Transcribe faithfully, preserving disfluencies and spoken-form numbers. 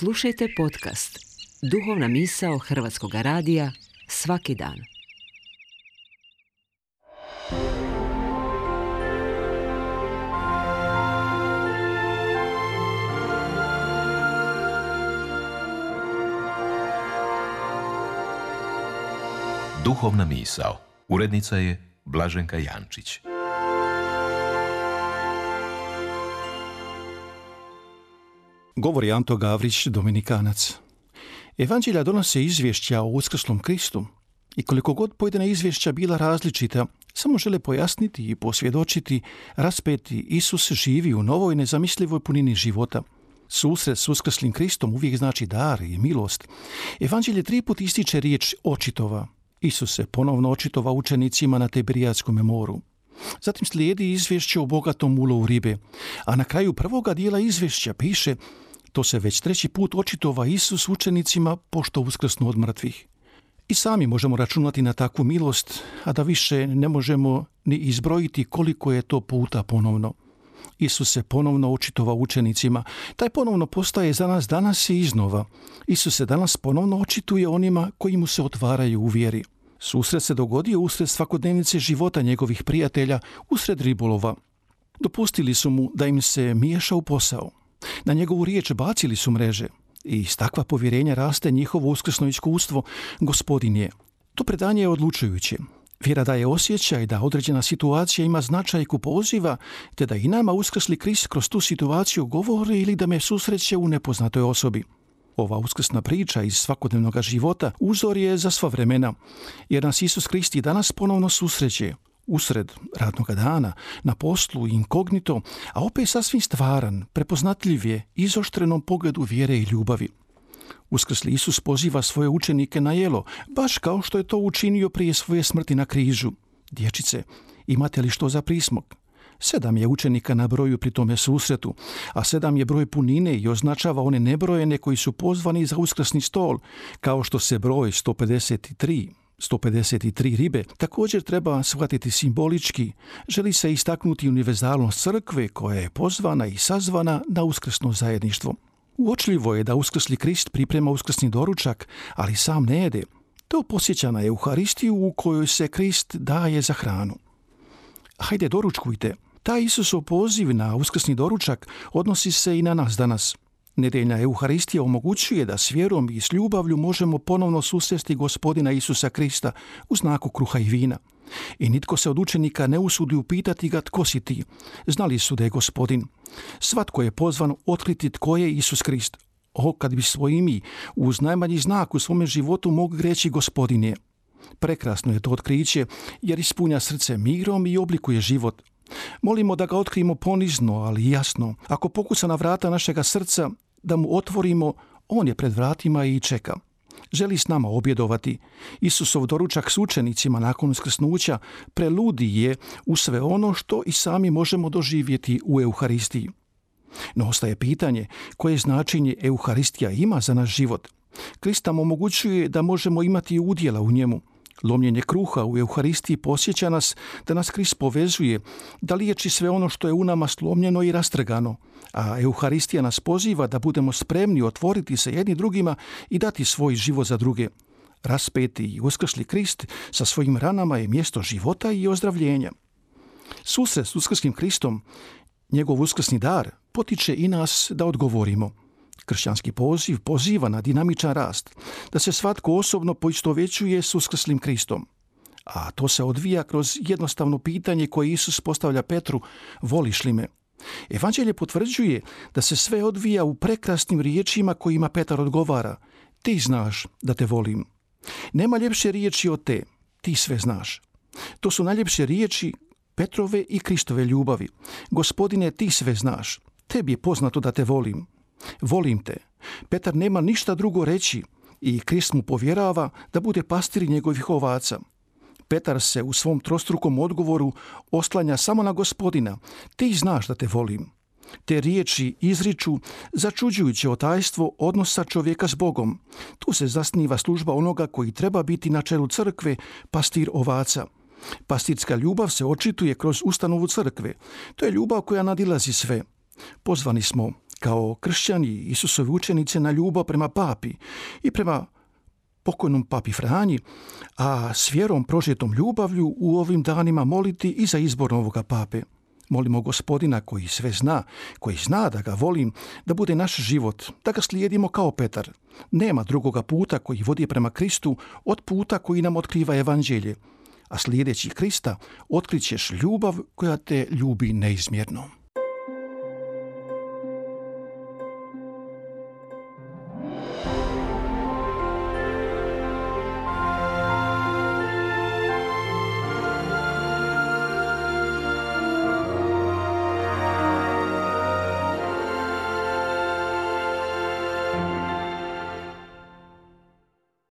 Slušajte podcast Duhovna misao Hrvatskog radija svaki dan. Duhovna misao. Urednica je Blaženka Jančić. Govori Anto Gavrić, Dominikanac. Evanđelja donose izvješća o uskrslom Kristu i koliko god pojedina izvješća bila različita, samo žele pojasniti i posvjedočiti raspeti Isus živi u novoj nezamislivoj punini života. Susret s uskrslim Kristom uvijek znači dar i milost. Evanđelje tri put ističe riječ očitova. Isus se ponovno očitova učenicima na Tiberijadskom moru. Zatim slijedi izvješće o bogatom ulovu ribe, a na kraju prvoga dijela izvješća piše: to se već treći put očitova Isus učenicima pošto uskrsnu od mrtvih. I sami možemo računati na takvu milost, a da više ne možemo ni izbrojiti koliko je to puta ponovno. Isus se ponovno očitova učenicima. Taj ponovno postaje za nas danas i iznova. Isus se danas ponovno očituje onima koji mu se otvaraju u vjeri. Susret se dogodio usred svakodnevnice života njegovih prijatelja, usred ribolova. Dopustili su mu da im se miješa u posao. Na njegovu riječ bacili su mreže. I iz takva povjerenja raste njihovo uskrsno iskustvo. Gospodin je. To predanje je odlučujuće. Vjera daje osjećaj da određena situacija ima značajku poziva, te da i nama uskrsli Krist kroz tu situaciju govori ili da me susreće u nepoznatoj osobi. Ova uskrsna priča iz svakodnevnog života uzor je za sva vremena, jer nas Isus Krist i danas ponovno susreće, usred radnog dana, na poslu, inkognito, a opet sasvim stvaran, prepoznatljiv je izoštrenom pogledu vjere i ljubavi. Uskrsli Isus poziva svoje učenike na jelo, baš kao što je to učinio prije svoje smrti na križu. Dječice, imate li što za prismog? Sedam je učenika na broju pri tome susretu, a sedam je broj punine i označava one nebrojene koji su pozvani za uskrsni stol, kao što se broj sto pedeset tri, sto pedeset tri ribe također treba shvatiti simbolički. Želi se istaknuti univerzalnost crkve koja je pozvana i sazvana na uskrsno zajedništvo. Uočljivo je da uskrsli Krist priprema uskrsni doručak, ali sam ne jede. To podsjeća na Euharistiju u kojoj se Krist daje za hranu. Hajde, doručkujte. Taj Isusov poziv na uskrsni doručak odnosi se i na nas danas. Nedeljna Euharistija omogućuje da s vjerom i s ljubavlju možemo ponovno susresti Gospodina Isusa Krista u znaku kruha i vina. I nitko se od učenika ne usudi upitati ga tko si ti. Znali su da je Gospodin. Svatko je pozvan otkriti tko je Isus Krist. O, kad bi svojim i uz najmanji znak u svome životu mogli reći Gospodin je. Prekrasno je to otkriće jer ispunja srce mirom i oblikuje život. Molimo da ga otkrijemo ponizno, ali jasno. Ako pokuca na vrata našega srca, da mu otvorimo, on je pred vratima i čeka. Želi s nama objedovati. Isusov doručak s učenicima nakon uskrsnuća preludi je u sve ono što i sami možemo doživjeti u Euharistiji. No ostaje pitanje koje značenje Euharistija ima za naš život. Krist nam omogućuje da možemo imati udjela u njemu. Lomljenje kruha u Euharistiji posjeća nas da nas Krist povezuje, da liječi sve ono što je u nama slomljeno i rastrgano, a Euharistija nas poziva da budemo spremni otvoriti se jedni drugima i dati svoj život za druge. Raspeti i uskrsli Krist sa svojim ranama je mjesto života i ozdravljenja. Susret s uskrslim Kristom, njegov uskrsni dar, potiče i nas da odgovorimo. Kršćanski poziv poziva na dinamičan rast, da se svatko osobno poistovjećuje s uskrslim Kristom. A to se odvija kroz jednostavno pitanje koje Isus postavlja Petru: voliš li me? Evanđelje potvrđuje da se sve odvija u prekrasnim riječima kojima Petar odgovara: ti znaš da te volim. Nema ljepše riječi od te, ti sve znaš. To su najljepše riječi Petrove i Kristove ljubavi. Gospodine, ti sve znaš, tebi je poznato da te volim. Volim te. Petar nema ništa drugo reći i Krist mu povjerava da bude pastir njegovih ovaca. Petar se u svom trostrukom odgovoru oslanja samo na Gospodina. Ti znaš da te volim. Te riječi izriču začuđujuće otajstvo odnosa čovjeka s Bogom. Tu se zasniva služba onoga koji treba biti na čelu crkve, pastir ovaca. Pastirska ljubav se očituje kroz ustanovu crkve. To je ljubav koja nadilazi sve. Pozvani smo kao kršćani Isusovi učenici na ljubav prema papi i prema pokojnom papi Franji, a s vjerom prožetom ljubavlju u ovim danima moliti i za izbor novoga pape. Molimo Gospodina koji sve zna, koji zna da ga volim, da bude naš život, da ga slijedimo kao Petar. Nema drugoga puta koji vodi prema Kristu od puta koji nam otkriva evanđelje, a slijedeći Krista otkrićeš ljubav koja te ljubi neizmjerno.